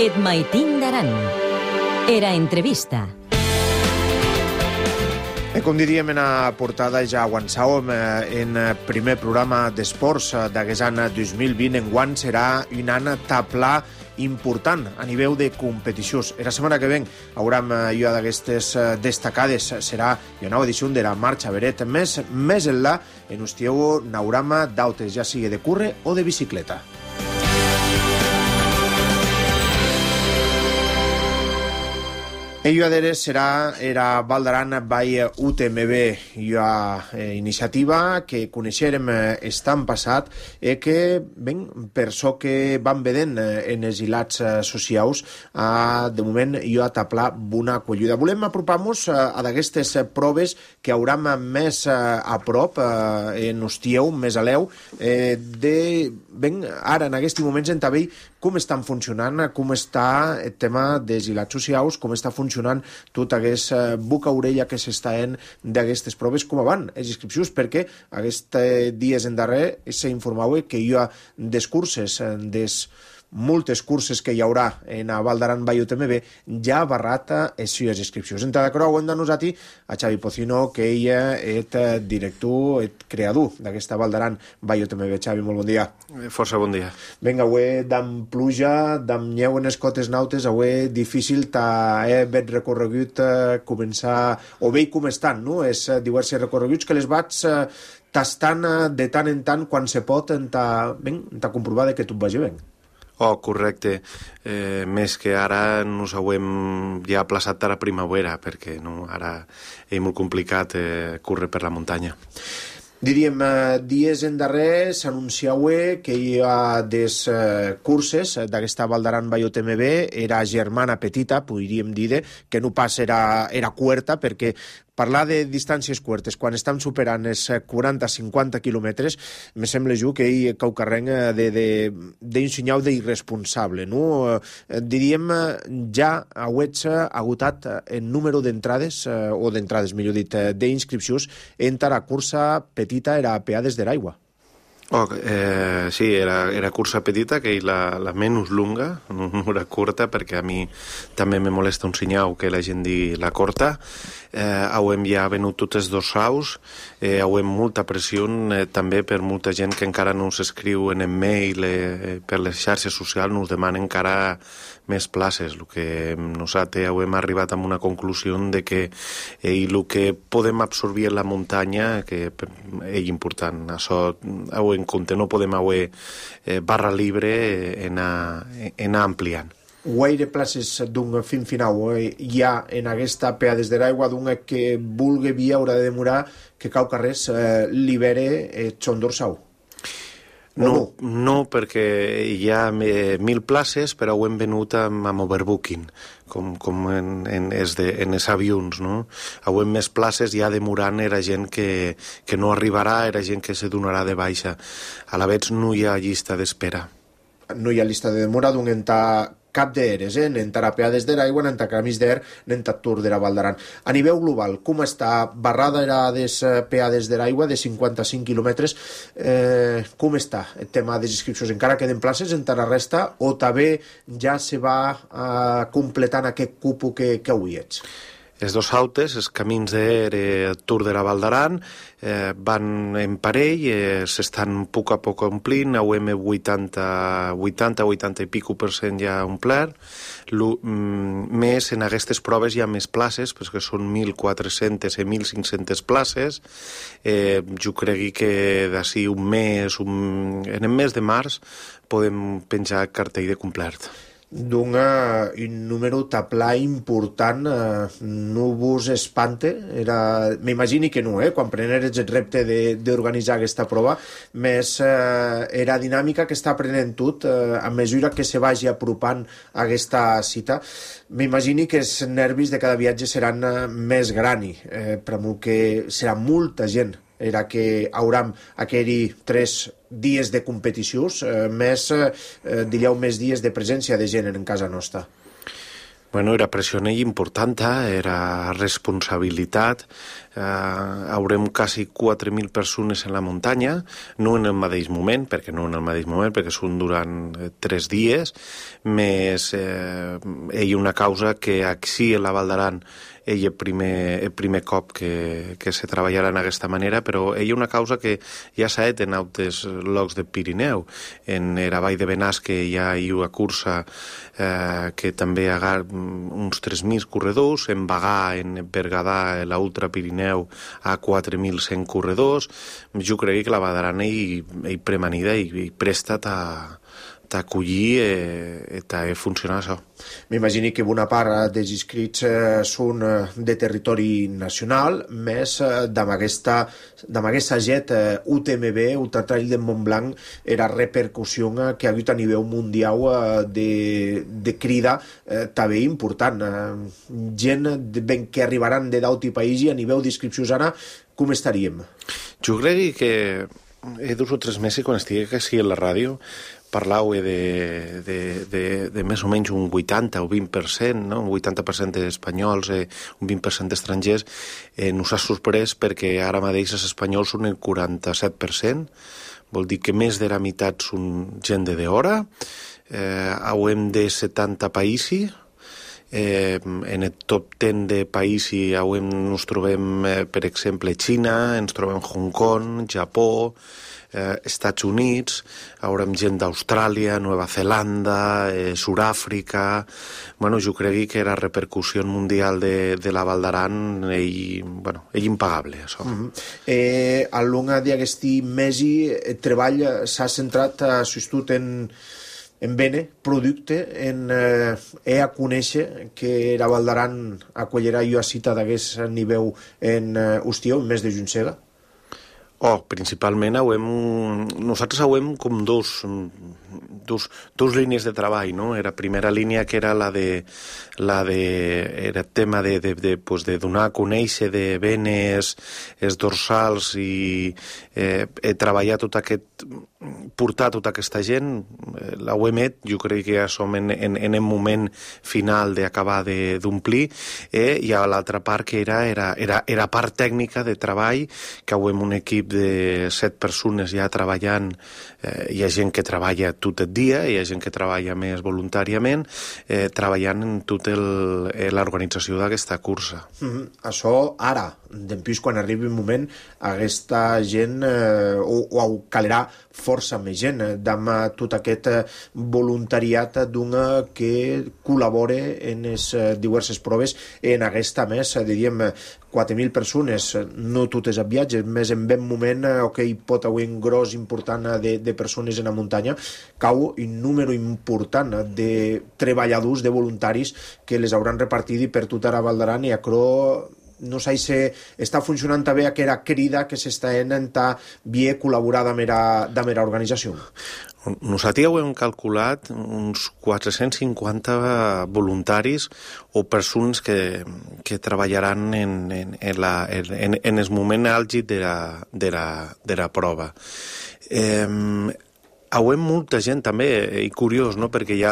Et maitin d'aran. Era entrevista. Com diríem en la portada, ja avançàvem en primer programa d'esports d'aquest any 2020. Enguany serà un any taplà important a nivell de competicions. La setmana que ven haurem jo d'aquestes destacades. Serà una nova edició de la Marxa Beret. Més enllà, en Ustieu n'haurem d'autes, ja sigui de curre o de bicicleta. Ello adere serà era Val d'Aran by UTMB, iniciativa que coneixerem estan passat i que, ben, per això que van vedent en els hilats socials, de moment jo a taplar una colluda. Volem apropar-nos a d'aquestes proves que hauram més a prop, en Ustieu, més a l'eu, ben, ara, en aquests moments, en Tabell, com estan funcionant, com està el tema dels hilats socials, com està funcionant tota aquesta boca-orella que s'està d'aquestes proves, com van les inscripcions, perquè aquests dies en darrer s'informava que hi ha des curses, moltes curses que hi haurà en a Val d'Aran by UTMB, ja barrata les seves inscripcions. Entrada de creu, hem de nosaltres a Xavi Pocino, que ella és director, és creador d'aquesta Val d'Aran by UTMB. Xavi, molt bon dia. Força bon dia. Vinga, avui d'am pluja, d'am nyeu en les cotes nautes, avui difícil haver recorregut començar, o bé com estan, no? És diversos recorreguts que les vaig tastant de tant en tant quan se pot ta comprovar que tot vagi bé. Oh, correcte. Més que ara nos hauem ja aplaçat a la primavera, perquè no, ara és molt complicat córrer per la muntanya. Diríem, dies en darrer s'anunciava que hi ha des curses d'aquesta Val d'Aran by UTMB, era germana petita, podríem dir, que no pas era cuerta, perquè parlar de distàncies curtes, quan estan superant els 40-50 quilòmetres, me sembla jo que hi cau carreng d'un senyal d'irresponsable, no? Diríem, ja hauets agotat el número d'entrades, o d'entrades, millor dit, d'inscripcions, entre la cursa petita era Peades de l'Aigua. Sí, era cursa petita, que és la menys lunga, no era curta, perquè a mi també me molesta un senyal que la gent digui la corta. Hauem ja venut totes dos saus, hauem molta pressió també per molta gent que encara no s'escriu en e-mail, per les xarxes socials nos demanen encara més places. El que nosaltres hauem arribat a una conclusió de que el que podem absorbir en la muntanya que és important. Això ho en compte, no podem haver barra libre en anar ampliant. Guaire places d'un fin final hi ha en aquesta Peades de l'Aigua, d'un que vulgui via haurà de demorar que cau carrers libere Xon d'Orsau? No, perquè hi ha 1.000 places, però ho hem venut amb overbooking, com en els avions, no? Hauem més places, ja demorant era gent que no arribarà, era gent que se donarà de baixa. A la vegada no hi ha llista d'espera. No hi ha llista de demora d'un entrar cap d'eres, n'entra Peades de l'Aigua, n'entra Camis d'Er, n'entra Tour de la Val d'Aran. A nivell global, com està barrada era des Peades de l'Aigua, de 55 quilòmetres, com està el tema de les inscripcions? Encara queden places entre la resta o també ja se va completant aquest cupo que avui ets? Els dos autes, els Camins d'Er, Tour de la Val d'Aran, van en parell, s'estan a poc omplint, hauem 80 i pico % ja omplert. Més en aquestes proves hi ha més places, perquè són 1.400 i 1.500 places. Jo crec que d'ací un mes, en el mes de març, podem penjar cartell de complert. Un número taplà important, no vos espante? M'imagini que no, quan preneres el repte d'organitzar aquesta prova, més era dinàmica que està aprenent tot a mesura que se vagi apropant a aquesta cita. M'imagini que els nervis de cada viatge seran més grans, per molt que serà molta gent era que hauram aquells 3 dies de competicions, més dies de presència de gent en casa nostra. Bueno, era pressió important, era responsabilitat, haurem quasi 4.000 persones en la muntanya, no en el mateix moment, perquè són durant 3 dies, més hi ha una causa que així a la Val d'Aran el primer cop que se treballarà d'aquesta manera, però hi ha una causa que ja s'ha fet en altres llocs del Pirineu. En la vall de Benasque hi ha una cursa que també hi ha uns 3.000 corredors, en Bagà, en Berguedà, a l'Ultra Pirineu, hi ha 4.100 corredors. Jo crec que la Val d'Aran hi premanida i presta d'acollir i funcionar això. M'imagino que bona part dels inscrits són de territori nacional, més amb aquesta jet UTMB, Ultra Trail de Montblanc, era repercussió que ha hagut a nivell mundial de crida també important. Gent que arribaran de d'altre país i a nivell d'inscripcions ara, com estaríem? Jo crec que 2 o 3 mesos, quan estigui aquí a la ràdio, parlau de més o menys un 80 o 20%, no? Un 80% d'espanyols, un 20% d'estrangers. Nos ha sorprès perquè ara mateix els espanyols són el 47%, vol dir que més de la meitat són gent de d'hora, hauem de 70 països, en el top 10 de països ens trobem, per exemple, Xina, ens trobem Hong Kong, Japó, Estats Units, haurem gent d'Austràlia, Nova Zelanda, Sud-àfrica. Bueno, jo crec que la repercussió mundial de la Val d'Aran és impagable, això. Al long d'aquest mes el treball s'ha centrat sobretot en bene, producte, en a conèixer que la Val d'Aran acollirà una cita d'aquest nivell en Hostió, en mes de Juntsega? Principalment nosaltres hauem com dos línies de treball, no? La primera línia que era era el tema de donar a conèixer de venes, els dorsals i treballar portar tota aquesta gent. La UEMET, jo crec que ja som en el moment final d'acabar d'omplir, i a l'altra part que era part tècnica de treball, que hauem un equip de 7 persones ja treballant. Hi ha gent que treballa tot el dia, hi ha gent que treballa més voluntàriament, treballant en tota l'organització d'aquesta cursa. Això ara, després quan arribi un moment, aquesta gent o calerà força més gent amb tot aquest voluntariat que col·labora en les diverses proves en aquesta més, diríem, 4.000 persones, no totes a viatges, més en ben moment que hi pot haver un gros important de persones en la muntanya, cau un número important de treballadors, de voluntaris que les hauran repartit per tota la Val d'Aran, i això no sé si està funcionant també aquella crida que s'està intentant bé col·laborar amb la organització. Nosaltres ho hem calculat uns 450 voluntaris o persones que treballaran en el moment àlgid de la prova. Hauem molta gent també, i curiós, no? Perquè hi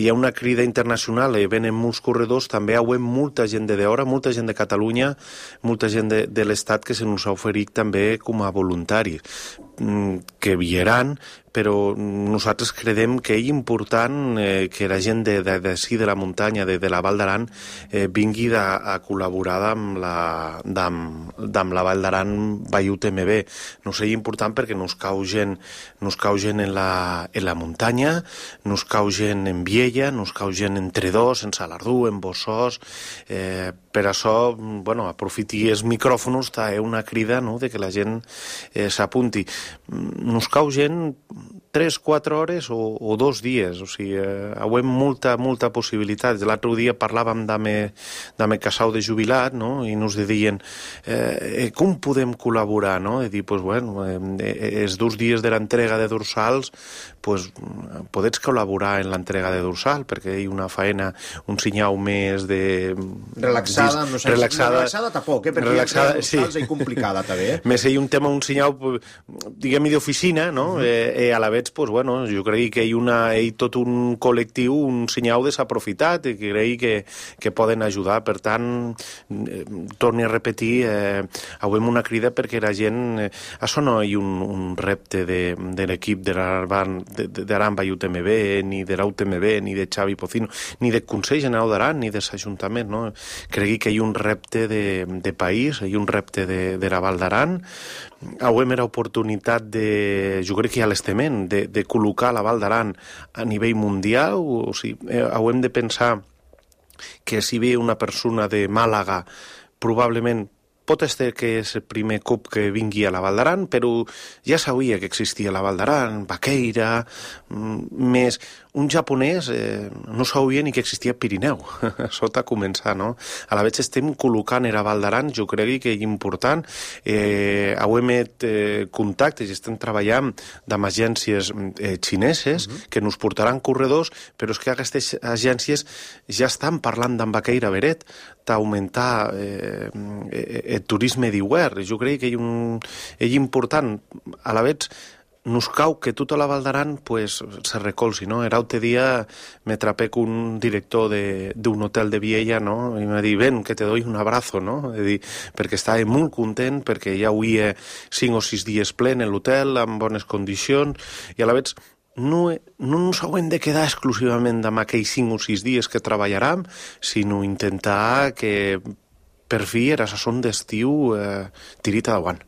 ha una crida internacional, venen molts corredors, també hauem molta gent de d'hora, molta gent de Catalunya, molta gent de l'Estat que se nos ha oferit també com a voluntaris, que vieran, però nosaltres creiem que és important que la gent d'ací de la muntanya, de la Val d'Aran, vingui a col·laborar amb la Val d'Aran by UTMB. No sé, és important perquè nos cau gent en la muntanya, nos cau gent en Viella, nos cau gent en Tredós, en Salardú, en Bossòs. Per això, aprofiti els micròfons, és una crida, no?, de que la gent s'apunti. Nos cau gent 3-4 hores o 2 dies, o sigui, hauem molta possibilitat. L'altre dia parlàvem d'ame casau de jubilat, no?, i nos deien com podem col·laborar, no?, i dir, els 2 dies de l'entrega de dorsals, podets col·laborar en l'entrega de dorsal, perquè hi ha una faena, un senyal més de... Relaxada tampoc, perquè dorsals és complicada, també. Més hi ha un tema, un senyal, diguem-hi, d'oficina, no?, a la vegada veig, pues, bueno, jo crec que hi ha tot un col·lectiu, un senyal desaprofitat, i crec que poden ajudar. Per tant, torni a repetir, avui una crida perquè la gent... Això no hi ha un repte de l'equip d'Aran i UTMB, ni de l'UTMB, ni de Xavi Pocino, ni del Consell General d'Aran, ni de l'Ajuntament, no? Crec que hi ha un repte de país, hi ha un repte de la Val d'Aran. Avui era oportunitat jo crec que ja l'estement, de col·locar la Val d'Aran a nivell mundial. O sigui, hem de pensar que si ve una persona de Màlaga, probablement pot ser que és el primer cop que vingui a la Val d'Aran, però ja sabia que existia la Val d'Aran, Baqueira, més un japonès no sabia ni que existia Pirineu. Això t'ha començat, no? A la vegada estem col·locant a la Val d'Aran, jo crec que és important. Avui hem contactes i estem treballant amb agències xineses que ens portaran corredors, però és que aquestes agències ja estan parlant d'en Baqueira Beret d'augmentar el turisme d'hivern. Jo crec que és important. A la vegada nos cau que tota la Val d'Aran se recolzi, no? L'altre dia me trapé con un director d'un hotel de Viella, no? I m'ha dit, ven, que te doy un abrazo, no? Perquè estava molt content, perquè ja havia 5 o 6 dies plen en l'hotel, en bones condicions, i a la vegada no ens haurem de quedar exclusivament amb aquells 5 o 6 dies que treballarem, sinó intentar que per fi era la son d'estiu tirita davant.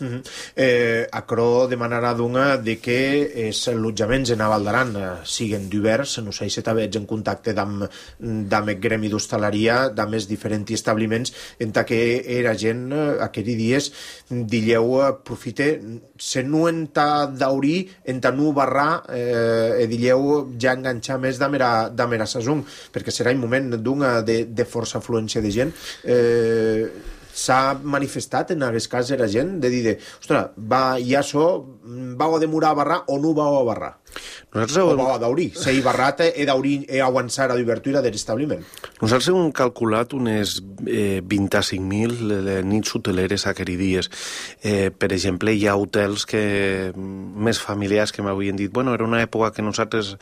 Aquerò demanarà d'una de que els allotjaments en Val d'Aran siguen divers. No sé si t'haveig en contacte amb el gremi d'hostaleria, amb els diferents establiments, en que era gent aquells dies dilleu aprofite se no enta d'aurir enta no barrar dilleu ja enganxar més d'amera sazón, perquè serà un moment de força afluència de gent. S'ha manifestat en aquest cas la gent de dir, ostres, ja vau a demorar a barrar o no vau a barrar? O vau a d'aurir. Si he barrat, he avançar a l'obertura de l'establiment. Nosaltres hem calculat unes 25.000 nits hoteleres aquells dies. Per exemple, hi ha hotels més familiars que m'havien dit, bueno, era una època que nosaltres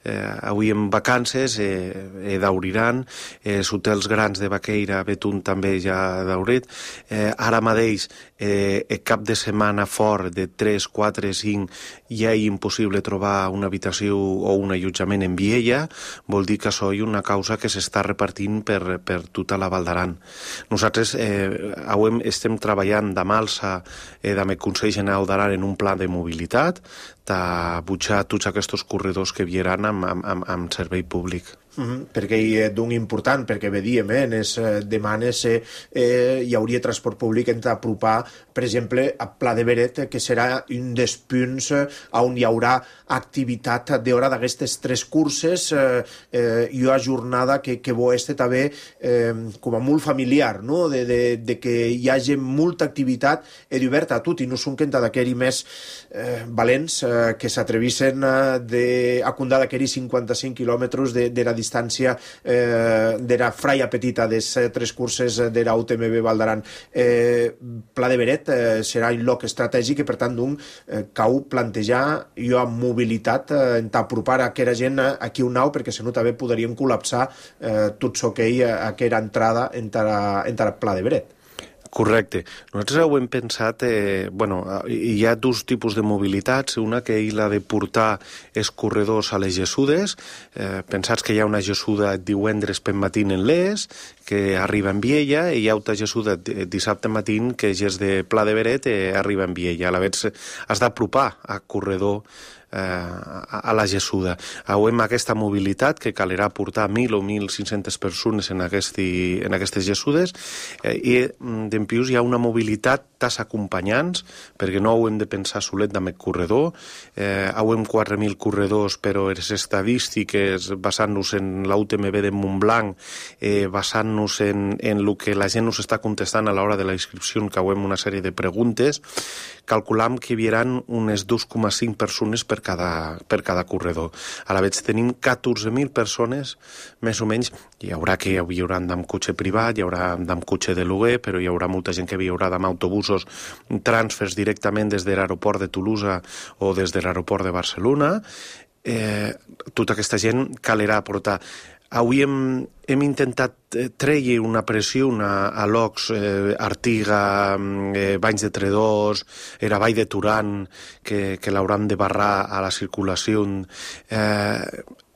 havíem vacances, d'auriran, els hotels grans de Baqueira, Betún també ja d'aurit. Ara mateix, el cap de setmana fort de 3, 4, 5, ja és impossible trobar una habitació o un allotjament en Viella, vol dir que això és una causa que s'està repartint per tota la Val d'Aran. Nosaltres avui estem treballant de Malsa, amb el Consell General d'Aran en un pla de mobilitat, de butxar tots aquests corredors que vieran amb servei públic. Perquè és d'un important, perquè vedíem en les demanes hi hauria transport públic entre apropar, per exemple, a Pla de Beret, que serà un dels punts on hi haurà activitat d'hora d'aquestes 3 curses i una jornada que bo este també com a molt familiar, no? De que hi hagi molta activitat oberta a tot i no són que d'aquells més valents que s'atrevissen a condar d'aquells 55 quilòmetres de la distància de la fraia petita de les 3 curses de la UTMB Val d'Aran. Pla de Beret serà un lloc estratègic i per tant cau plantejar una mobilitat en apropar aquella gent aquí un nau, perquè si no també podríem col·lapsar tot això que hi ha aquella entrada entre Pla de Beret. Correcte. Nosaltres ho hem pensat, hi ha 2 tipus de mobilitats, una que és la de portar els corredors a les Jessudes, pensats que hi ha una Jessuda divendres per matín en l'Es, que arriba en Viella, i hi ha una Jessuda dissabte matín que és de Pla de Beret i arriba en Viella. A la vegada has d'apropar a corredor a la Jessuda. Avui aquesta mobilitat que calerà portar 1.000 o 1.500 persones en aquestes Jessudes i d'en plus hi ha una mobilitat tas acompanyants, perquè no ho hem de pensar solet amb el corredor. Avui 4.000 corredors, però les estadístiques basant-nos en la UTMB de Montblanc, basant-nos en el que la gent ens està contestant a l'hora de la inscripció, que avui una sèrie de preguntes, calculam que hi haurà unes 2,5 persones per cada corredor. A la vegada tenim 14.000 persones, més o menys. Hi haurà que viuran amb cotxe privat, hi haurà amb cotxe de lloguer, però hi haurà molta gent que viurà amb autobús inclús transfers directament des de l'aeroport de Toulouse o des de l'aeroport de Barcelona. Tota aquesta gent calerà portar. Avui hem intentat treure una pressió a Locs, Artiga, Banys de Tredors, era Vall de Turan, que l'hauran de barrar a la circulació.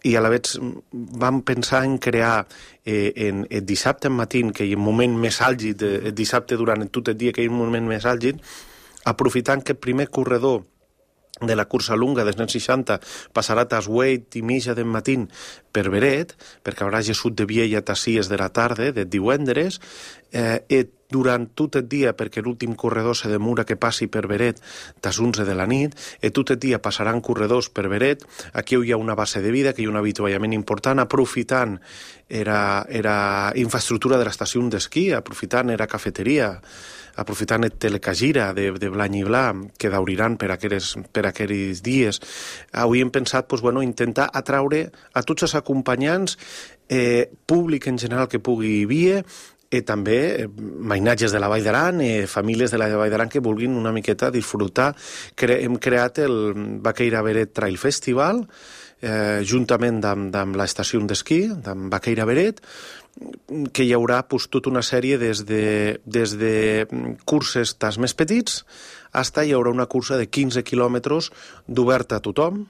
I a la vegada vam pensar en crear el dissabte en matí, que hi ha un moment més àlgid, el dissabte durant tot el dia, que hi ha un moment més àlgid, aprofitant que el primer corredor de la cursa lunga dels anys 60 passarà a les 8 i mitja del matí per Beret, perquè haurà Jesús de Viella a les 6 de la tarda, de divendres, i durant tot el dia, perquè l'últim corredor se demora que passi per Beret a les 11 de la nit, i tot el dia passaran corredors per Beret. Aquí hi ha una base de vida, que hi ha un avituallament important, aprofitant era infraestructura de l'estació d'esquí, aprofitant era cafeteria, aprofitant el telecagira de Blany i Bla, que dauriran per aquells dies. Avui hem pensat intentar atraure a tots els acompanyants, públic en general que pugui vir, i també mainatges de la Vall d'Aran, famílies de la Vall d'Aran que vulguin una miqueta disfrutar. Hem creat el Baqueira Beret Trail Festival, juntament amb l'estació d'esquí, amb Baqueira Beret, que hi haurà tota una sèrie des de curses tas més petits fins hi haurà una cursa de 15 quilòmetres d'oberta a tothom,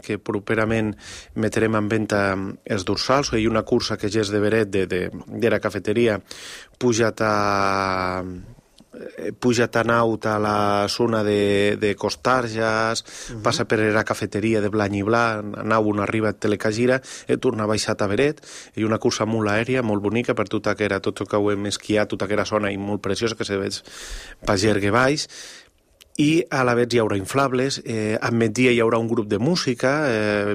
que properament metrem en venda els dorsals. Hi ha una cursa que ja és de Beret, de la cafeteria, pujat a Naut a la zona de Costarjas, passa per la cafeteria de Blany i Bla, Naut on arriba a Telecagira, i torna baixat a Beret. Hi ha una cursa molt aèria, molt bonica, per tot el que ho hem esquiat, tota aquella zona i molt preciosa que se veig per Gergue baix. I a la vegada hi haurà inflables, a migdia hi haurà un grup de música,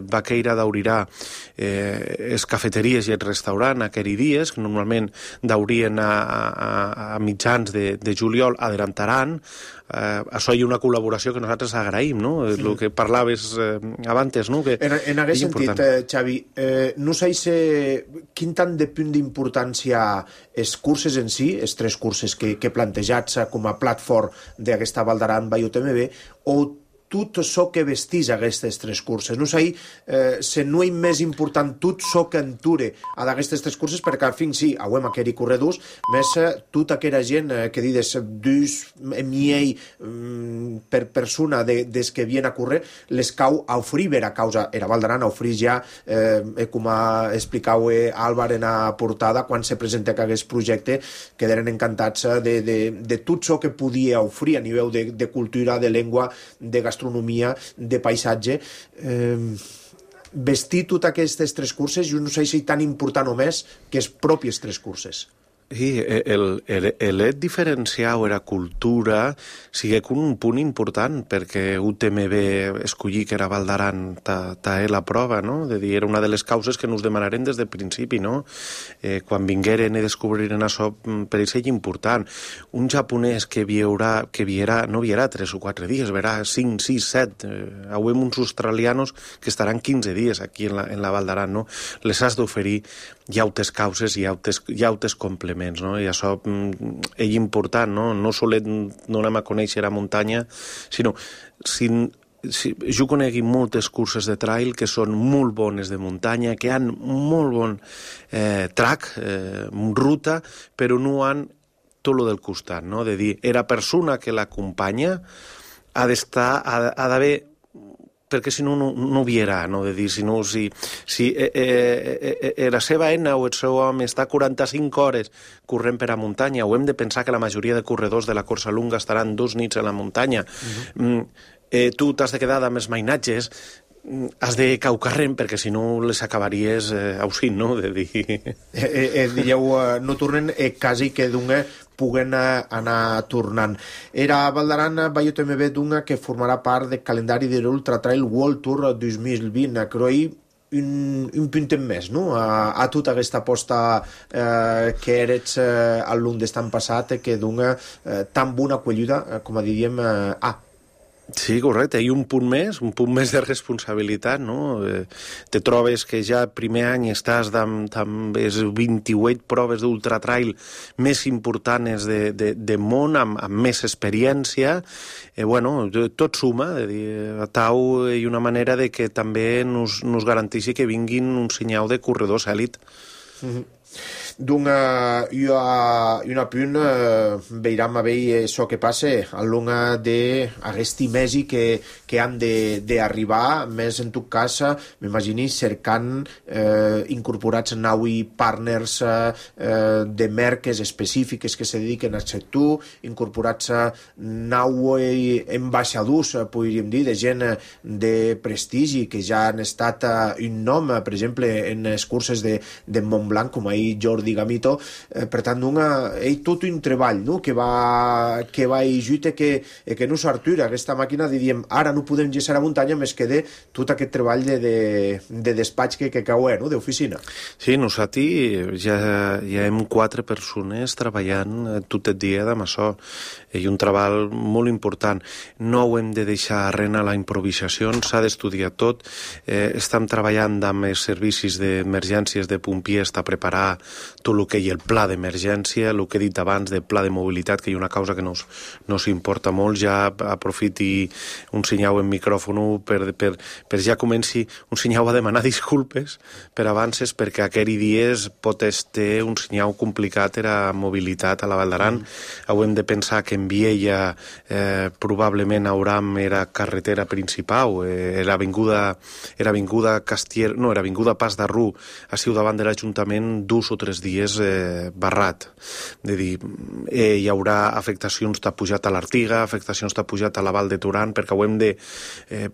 Baqueira daurirà les cafeteries i el restaurant aquells dies, que normalment daurien a mitjans de juliol, adelantaran. Això hi ha una col·laboració que nosaltres agraïm, no? El que parlaves abans, no? En aquest sentit, Xavi, no sé quin tant de punt d'importància els curses en si, els tres curses que plantejats com a platform d'aquesta Val d'Aran by UTMB, o tot això que vestís aquestes tres curses. No sé si no és més important tot això que enture a d'aquestes tres curses, perquè al fin sí, hauem aquell corredors, més tota aquella gent que dius miei per persona des que viene a córrer, les cau a oferir a causa, era Val d'Aran a oferir ja, com explicau Álvar en la portada, quan se presenta aquest projecte, quedaren encantats de tot això que podia oferir a nivell de cultura, de llengua, de gastronomia, de paisatge. Vestir totes aquestes tres curses, jo no sé si tan important o més que les pròpies tres curses. Sí, l'het diferenciar o la cultura sigue un punt important, perquè UTMB escollir que era Val d'Aran ta la prova, no? De dir, era una de les causes que nos demanaren des del principi, no? Quan vingueren i descobriren això, per ells és important. Un japonès que no viurà 3 o 4 dies, verà 5, 6, 7. Hauem uns australianos que estaran 15 dies aquí en la Val d'Aran, no? Les has d'oferir hi ha altres causes i hi ha altres complements, no? I això és important, no? No solet no anem a conèixer la muntanya, sinó jo conegui moltes curses de trail que són molt bones de muntanya, que han molt bon track, ruta, però no han tot lo del costat, no? De dir, la persona que l'acompanya ha d'haver, perquè si no, no viurà, no? De dir, si la seva eina o el seu home està 45 hores corrent per a muntanya, o hem de pensar que la majoria de corredors de la cursa lunga estaran 2 nits a la muntanya, tu t'has de quedar amb els mainatges, has de caucarren, perquè si no les acabaries ausint, no? De dir... Dieu, no tornen quasi que d'una puguen anar tornant. Era Val d'Aran by UTMB d'una que formarà part del calendari de l'Ultra Trail World Tour 2020. Crec un punt més, no? A tota aquesta aposta que eres al Lund d'estan passat, que d'una tan bona acollida, com diríem, Sí, correcte, i un punt més de responsabilitat, no? Te trobes que ja primer any estàs amb les 28 proves d'ultratrail més importants de món, amb més experiència, bueno, tot suma, de dir, a tau hi una manera de que també nos garanteixi que vinguin un senyal de corredors èlit. D'un una punt veiram a veure això que passa al long d'aquesti mesi que han d'arribar, més en tot cas m'imagini cercant incorporats naui partners de marques específiques que se dediquen al sector, incorporats naui ambaixadors, podríem dir, de gent de prestigi que ja han estat un nom, per exemple, en les curses de Montblanc, com ahir Jordi Gamito, per tant, tot un treball, no? que va ajudar que no s'artura aquesta màquina de diem, ara no podem lleçar a muntanya, més que de tot aquest treball de despatx que cau, no? d'oficina. Sí, nosaltres ja hem 4 persones treballant tot el dia amb això, i un treball molt important. No ho hem de deixar arrena la improvisació, s'ha d'estudiar tot. Estem treballant amb els servicis d'emergències de pompiers a preparar tot el que hi ha el pla d'emergència, el que he dit abans del pla de mobilitat, que hi ha una causa que nos importa molt. Ja aprofiti un senyal en micròfon per ja comenci un senyal a demanar disculpes per avances, perquè aquells dies pot estar un senyal complicat a mobilitat a la Val d'Aran. Hem de pensar que en Viella probablement hauram era carretera principal, era avinguda Castier, no, era avinguda Pas d'Arrú, ha sigut davant de l'Ajuntament 2 o 3 dies barrat. De dir, hi haurà afectacions de pujat a l'Artiga, afectacions de pujat a la Val de Turan, perquè ho hem de,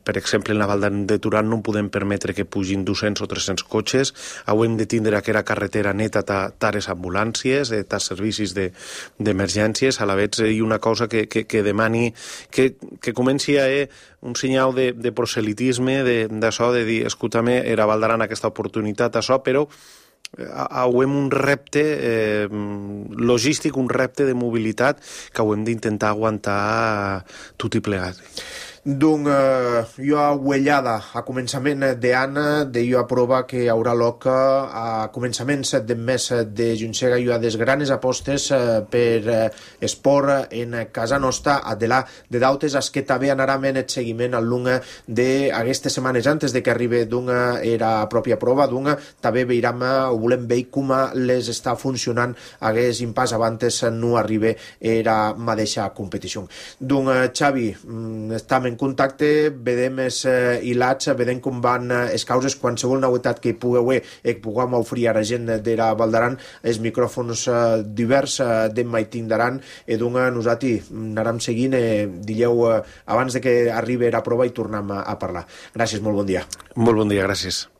per exemple, en la Val de Turan no podem permetre que pugin 200 o 300 cotxes, hem de tindre aquella carretera neta tares ambulàncies, tas servicis d'emergències, a la vegada hi ha una cosa que demani que comenci a un senyal de proselitisme, d'això, de dir, escolta-me, era Val d'Aran aquesta oportunitat, això, però hem un repte logístic, un repte de mobilitat que hem d'intentar aguantar tot i plegat. Donc, jo a uellada a començament d'any de jo a prova que hi haurà lloc a començaments del mes de juny hi ha des granes apostes per esport en casa nostra de dautes as que també anarà en el seguiment al long d'aquestes setmanes antes de que arribi era pròpia prova, també veiram o volem veure com les està funcionant hagués impàs abans no arribi era mateixa competició. Donc, Xavi, estem en contacte, vedem els hilats, vedem com van les causes, qualsevol novetat que puguem oferir a la gent de la Val d'Aran, els micròfons divers demà hi tindran, i nosaltres anarem seguint, digueu, abans de que arribi la prova i tornem a parlar. Gràcies, molt bon dia. Molt bon dia, gràcies.